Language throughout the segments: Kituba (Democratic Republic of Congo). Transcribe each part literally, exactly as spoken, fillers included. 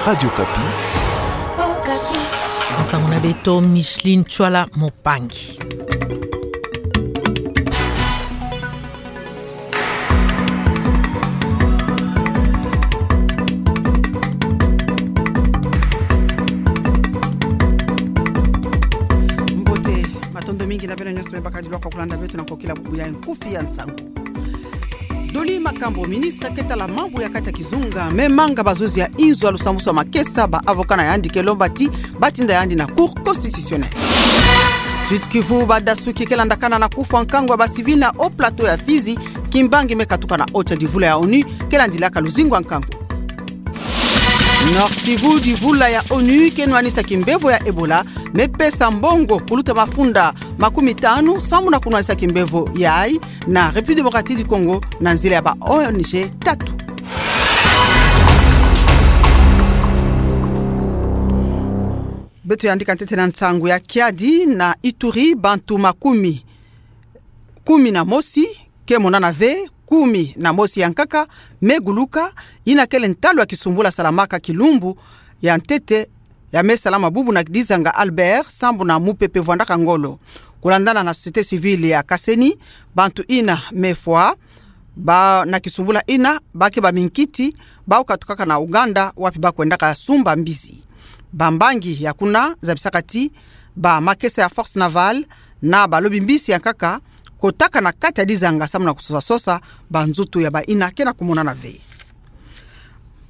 Radio Okapi. Nsangu na beto, Micheline Tshuala Mopangi. Mbote, matondo mingi na beno nyonso me bakadilwaka kulanda beto na nkokila bubu ya nkufi ya nsangu. Dolly Makambo, ministre ke tala mambu ya kati ya kizunga, me manga bazuzi ya inzo ya lusambusu ya makesa, ba avocat na yandi ke lomba ti batinda yandi na Cour constitutionnelle. Sud-Kivu, badasuki ke landakana na kufwa nkangu ya ba civil na Haut-Plateau ya Fizi, kimbangi me katuka na oti ya divula ya ONU ke landilaka luzingu ya nkangu. Nord-Kivu, divula ya ONU ke nwanisa kimbevo ya Ebola, me pesa mbongo kuluta mafunda makumi tanu, sambu na kunwanisa kimbevo yayi na République démocratique du Congo na nzila ya ba ONG tatu. Beto yandika ntete na nsangu ya kiadi. Na Ituri, bantu makumi kumi na mosi ke monana ve, kumi na mosi ya nkaka me guluka, yina kele ntalu ya kisumbula salamaka kilumbu ya ntete, ya me salama bubu na dizanga Albert, sambu na mupepe vwandaka ngolo. Kulandana na société civile ya Kaseni, bantu yina me fwa, ba na kisumbula yina, ba ke ba minkiti, bau katukaka na Uganda, wapi ba kwendaka sumba mbizi. Bambangi ya kuna zabisaka ti ba makesa ya Force Navale na balobi-mbisi ya nkaka kotaka na kati ya dizanga sambu na kusosa-sosa banzutu ya bayina ke na kumonana ve.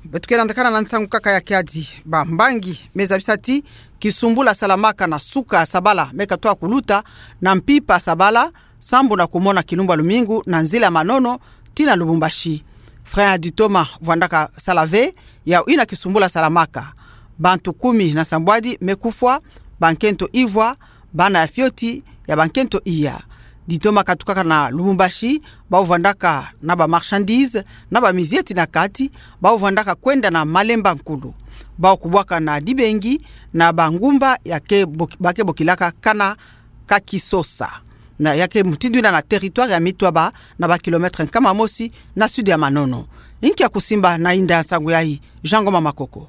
Beto ke landakana na nsangu kaka ya kiadi. Bambangi me zabisa ti kisumbula salamaka na suka ya sabala me katoa kuluta na mpimpa ya sabala, sambu na kumona kilumbu ya lumingu na nzila ya Manono tii na Lubumbashi. Frein ya Ditoma vwandaka sala ve, yau yina kisumbula salamaka. Bantu kumi na sambwadi me kufwa, bankento ivwa, bana ya fioti ya bankento iya. Ditoma katukaka na Lubumbashi, bau vwandaka na ba marchandises, na bamizieti na kati, bau vwandaka kwenda na malemba nkulu. Bau kubwaka na dibengi na bangumba ya ke bok-, ba ke bokilaka kana ka kisosa. Na ya ke mutindu yina na territoire ya Mitwaba, na ba kilomètre nkama mosi na sud ya Manono. Inki ya kusimba na inda ya nsangu yayi? Jean Ngoma Makoko.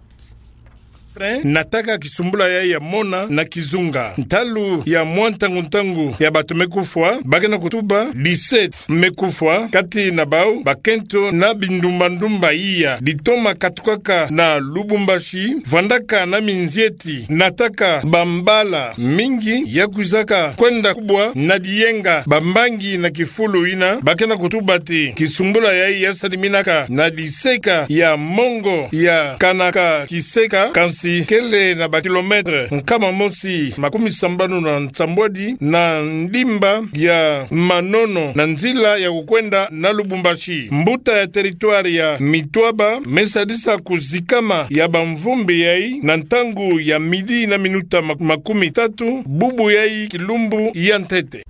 Nataka kisumbula yayi ya mona na kizunga. Ntalu ya mwa ntangu-ntangu ya bantu me kufwa, ba ke na kutuba dix-sept me kufwa, kati na bau bakento na bindumba-ndumba iya. Ditoma katukaka na Lubumbashi, vwandaka na minzieti, nataka bambala mingi ya kwizaka kwenda kubwa na diyenga. Bambangi na kifulu yina ba ke na kutuba ti kisumbula yayi ya saliminaka na diseka ya mongo ya kana ka kiseka, kansi kele na ba kilomètre nkama mosi makumi sambanu na nsambwadi na ndimba ya Manono na nzila ya kukwenda na Lubumbashi. Mbuta ya territoire ya Mitwaba me sadisa kuzikama ya bamvumbi yayi na ntangu ya midi na minuta mak-, makumi tatu, bubu yayi kilumbu ya ntete.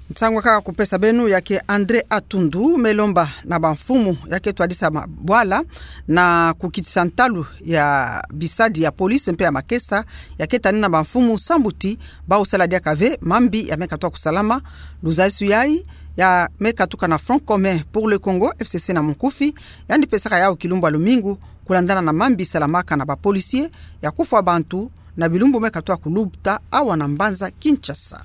Nsangu kaka kupesa beno ya ke André Atundu me lomba na bamfumu ya ke twadisa mabwala na kukitisa ntalu ya bisadi ya police mpe ya makesa ya ke tani na bamfumu sambu ti bau sala diaka ve mambi ya me katoa kusalama. Luzayisu yayi ya me katuka na Front Commun pour le Congo, F C C na munkufi, yandi pesaka yau kilumbu ya lumingu, kulandana na mambi salamaka na ba policiers ya kufwa bantu na bilumbu me katoa kuluta awa na mbanza Kinshasa.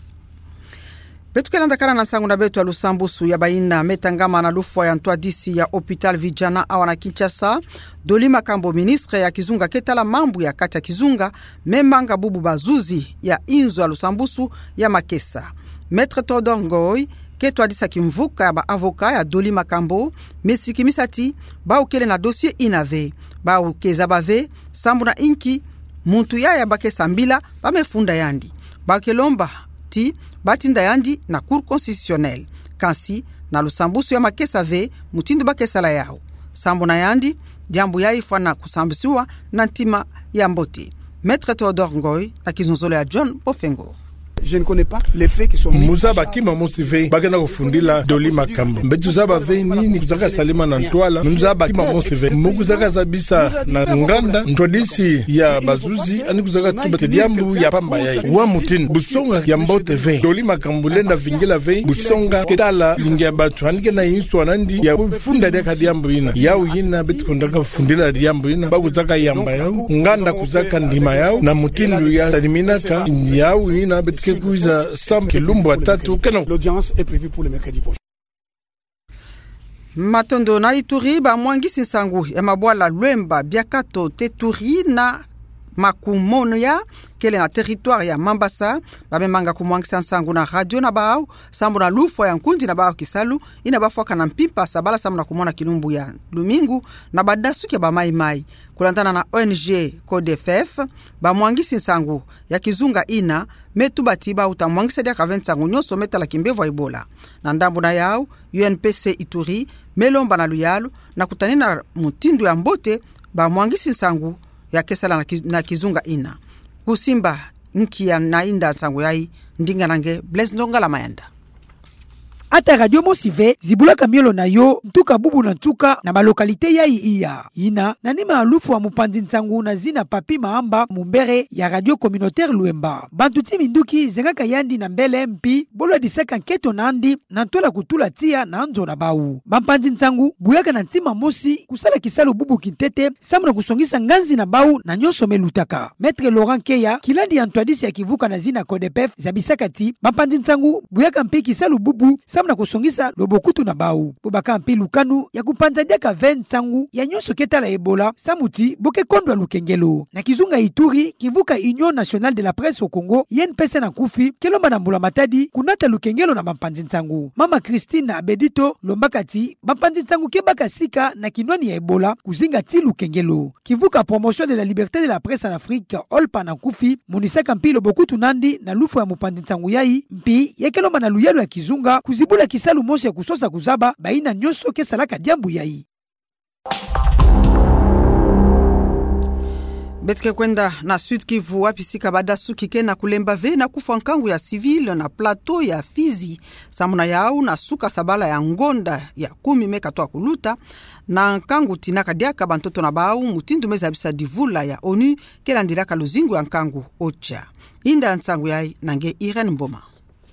Beto ke landakana na nsangu na beto ya lusambusu ya bayina me tangama na lufwa ya ntwadisi ya hôpital Vijana awa na Kinshasa. Dolly Makambo, ministre ya kizunga ke tala mambu ya kati ya kizunga, me manga bubu bazuzi ya inzo ya lusambusu ya makesa. Maître Théodore Ngoy ke twadisa kimvuka ya ba avocat ya Dolly Makambo, me sikimisa ti bau kele na dossier yina ve, bau ke zaba ve sambu na inki muntu yaya ba ke sambila ba me funda yandi. Ba ke lomba ti batinda yandi na Cour constitutionnelle. Kansi na lusambusu ya makesa ve mutindu ba ke sala yau. Sambu na yandi, diambu yayi fwana kusambisiwa na ntima ya mbote. Maître Théodore Ngoy na kizonzolo ya John Bofengo. Je ne connais pas les faits qui sont mis. Mu zaba kima mosi ve ba ke na kufundila Dolly Makambu. Mbe tuzaba ve nini kuzaka salama na ntwala, mu zaba kima mosi ve. Mu kuzaka zabisa na nganda, ntwadisi ya bazuzi, ani kuzaka tuba te diambu ya pamba yayi. Wa mutindu, bu songa ya mbote ve. Dolly Makambu lenda vingila ve bu songa ke tala linge ya bantu, ani kena inswa nandi ya kufunda diaka diambu yina. Yawu yina beto ke kondaka fundila diambu yina, ba kuzaka yamba yawu, nganda kuzaka ndima yawu, na mutindu ya saliminaka yawu yina beto ke kwiza samba kilumbu ya tatu kena. L'audience est prévue pour le mercredi prochain. Matondo. Na Ituri, bamwangisi nsangu ya mabwala Luemba, Biakato, Teturi na Makumoya, kele na territoire ya Mambasa, bamemanga kumwangisa nsangu na radio na bawu, sambu na lufwa ya nkundi na bawu kisalu, yina bafwaka na mpimpa sabala sambu na kumona kilumbu ya lumingu na badasuki ya bamaimai. Kulandana na O N G Codefef, bamwangisi nsangu ya kizunga yina me tuba ti ba uta mwangisa diaka ve nsangu nyonso me tala kimbevo ya Ebola. Na ndambu na yawu, U N P C Ituri me lomba na luyalu na kutanina mutindu ya mbote bamwangisi nsangu ya ke sala na ki-, na kizunga yina. Kusimba nkia na yinda nsangu yayi, ndinga na nge Blaise Ndongala Mayanda. Ata radio mosi ve zibulaka miolo na yo ntuka bubu na nsuka na balocalité yayi iya. Yina na nima ya lufwa ya mupanzi nsangu na zina Papy Mahamba, mumbere ya radio communautaire Luemba. Bantu ti minduki zengaka yandi na mbele mpi bolwadisaka nkento nandi na ntwala kutula tiya na nzo na bawu. Bampanzi nsangu buyaka na ntima mosi kusala kisalu bubu kintete, sambu na kusongisa nganzi na bawu na nyonso me lutaka. Maître Laurent Keya, kilandi ya ntwadisi ya kivuka na zina Codepef, zabisaka ti bampanzi nsangu buyaka mpe kisalu bubu, sambu na kusongisa lobokutu na bawu. Bo baka mpe lukanu ya kupanza diaka ve nsangu ya nyonso ke tala Ebola, sambu ti bo ke kondwa lukengelo. Na kizunga Ituri, kivuka Union Nationale de la Presse au Congo, U N P C na nkufi, ke lomba na mbula matadi kunata lukengelo na bampanzi nsangu. Mama Christine Abedito lombaka ti bampanzi nsangu ke baka sika na kinwani ya Ebola kuzinga ti lukengelo. Kivuka Promotion de la Liberté de la Presse en Afrique, OLPA na nkufi, monisaka mpi lobokutu nandi na lufwa ya mupanzi nsangu yayi, mpi ya ke lomba na luyalu ya kizunga kuzibula kisalu mosi ya kusosa kuzaba bayina nyonso ke salaka diambu yayi. Beto ke kwenda na Sud-Kivu, wapi sika badasuki ke na kulemba ve na kufwa nkangu ya civil na plateau ya Fizi. Samu na yawu, na suka sabala ya ngonda ya kumi me katoa kuluta, na nkangu tinaka diaka bantoto na bawu, mutindu me zabisa divula ya ONU ke landilaka luzingu ya nkangu, OCHA. Yinda nsangu yayi na nge Irène Mboma.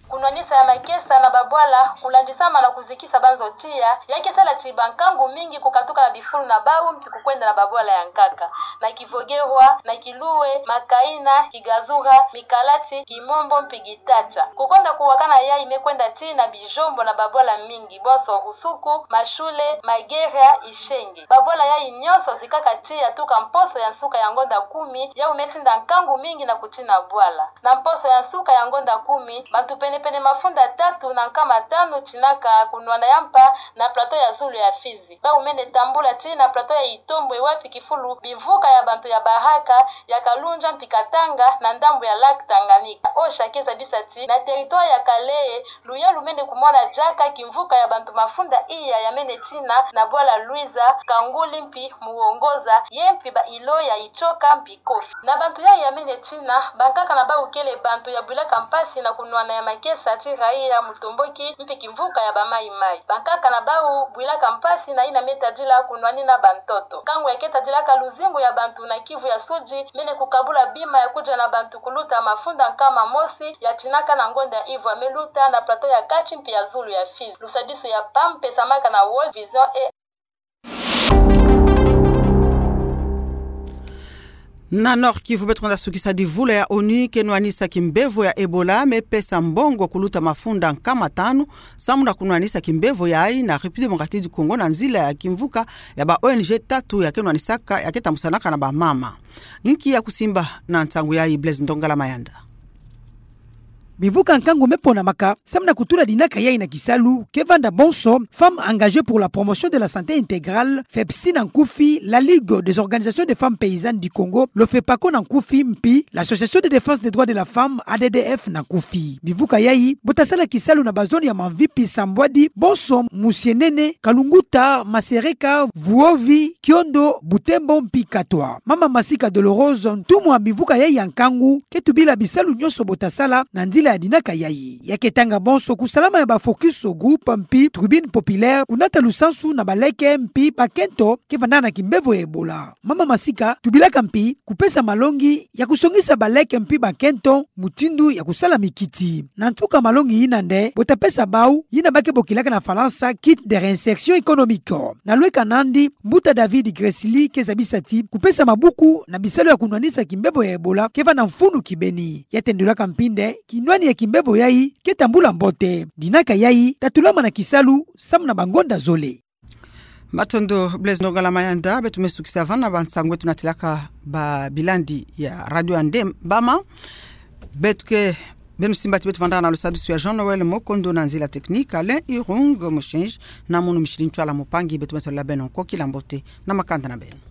Kunwanisa ya makesa na babwala, kulandisama na kuzikisa banzo tiya, ya ke sala ti bankangu mingi kukatuka na bifulu na bawu mpi kukwenda na babwala ya nkaka, na Kivogerwa, na Kiluwe, Makaina, Kigazura, Mikalati, Kimombo mpi Gitacha. Kukonda kuwakana yayi me kwenda tii na bijombo na babwala mingi, bonso Rusuku, Mashule, Mageria, Ishenge. Babwala yayi nyonso zikaka tiya tuka mposo ya nsuka ya ngonda kumi, yawu me tinda nkangu mingi na kutina bwala. Na mposo ya nsuka ya ngonda kumi, bantu pene-pene mafunda tatu na nkama tanu tinaka kunwana ya mpa na plateau ya zulu ya Fizi. Bawu mene tambula tii na plateau ya Itombwe, wapi kifulu bimvuka ya bantu ya Baraka, ya Kalunja mpi Katanga na ndambu ya lac Tanganyika. OCHA ke zabisa ti na territoire ya Kalehe, luyalu mene kumona diaka kimvuka ya bantu mafunda iya ya mene tina na bwala Luiza, Kanguli mpi Muwongoza, ye mpi ba îlot ya Itshoka mpi Kofi. Na bantu yayi ya mene tina, bankaka na bawu kele bantu ya bwilaka mpasi na kunwana ya makesa ti raia, mutomboki mpi kimvuka ya bamaimai. Bankaka na bawu bwilaka mpasi na yina me tadila kunwanina bantoto. Nkangu ya ke tadilaka luzingu ya bantu na Kivu ya Sudi mene kukabula bima ya kudia na bantu kuluta mafunda nkama mosi ya tinaka na ngonda ya ivwa me luta na plateau ya kati mpi ya zulu ya Fizi. Lusadisu ya PAM pesamaka na World Vision et Na Nord-Kivu beto kwenda sukisa divula ya ONU ke nwanisa kimbevo ya Ebola, me pesa mbongo kuluta mafunda nkama tanu, samu na kunwanisa kimbevo yayi na République Démocratique du Congo na nzila ya kimvuka ya ba ONG tatu ya ke nwanisaka, ya ke tambusanaka na bamama. Nki ya kusimba na nsangu yayi, Blaise Ndongala Mayanda. Bimvuka nkangu me ponamaka samu na kutula dinaka yayi na kisalu ke vanda bonso Femmes Engagées pour la Promotion de la Santé Intégrale, FEPSI na nkufi, la Ligue des Organisations des Femmes Paysannes du Congo, l'OFEPACO na nkufi, mpi l'Association de Défense des Droits de la Femme, ADDF na nkufi. Bimvuka yayi bo ta sala kisalu na bazone ya Mamvipi, Sambwadi, bonso Musienene, Kalunguta, Masereka, Vuovi, Kiondo, Butembo mpi Katwa. Mama Masika Dolorosa, ntumwa bimvuka yayi ya nkangu, ke tubila bisalu nyonso bo ta sala na nzila ya dinaka yayi. Ya ketanga bonso kusalama ya ba focus group mpi tribune populaire kunata lusansu na baleke mpi bakento kevana na kimbevo ya Ebola. Mama Masika tubilaka mpi kupesa malongi ya kusongisa baleke mpi bakento mutindu ya kusala mikiti. Na ntuka malongi ina nde bo tapesa bau yina ba kebokilaka na Falansa kit de réinsertion économique. Na lweka nandi, mbuta David Gressly keza bisati kupesa mabuku na bisalu ya kunwanisa kimbevo ya Ebola kevana mfunu kibeni. Ya tendulaka mpi nde kinwani ya kimbevo yayi ketambula mbote. Dinaka yayi tatulama na kisalu samu na bangonda zole. Matondo Blaise Ndongala Mayanda. Beto me sukisa vana ba nsangu beto natilaka ba bilandi ya radio ya nde bama. Beto ke beno simba ti beto vandaka na lusadisu ya Jean Noël Mokondo, na nzila technique Alain Irung Moshenji, na munu Micheline Ntwala Mupangi. Beto me tolela beno nkoki la mbote na makanda na beno.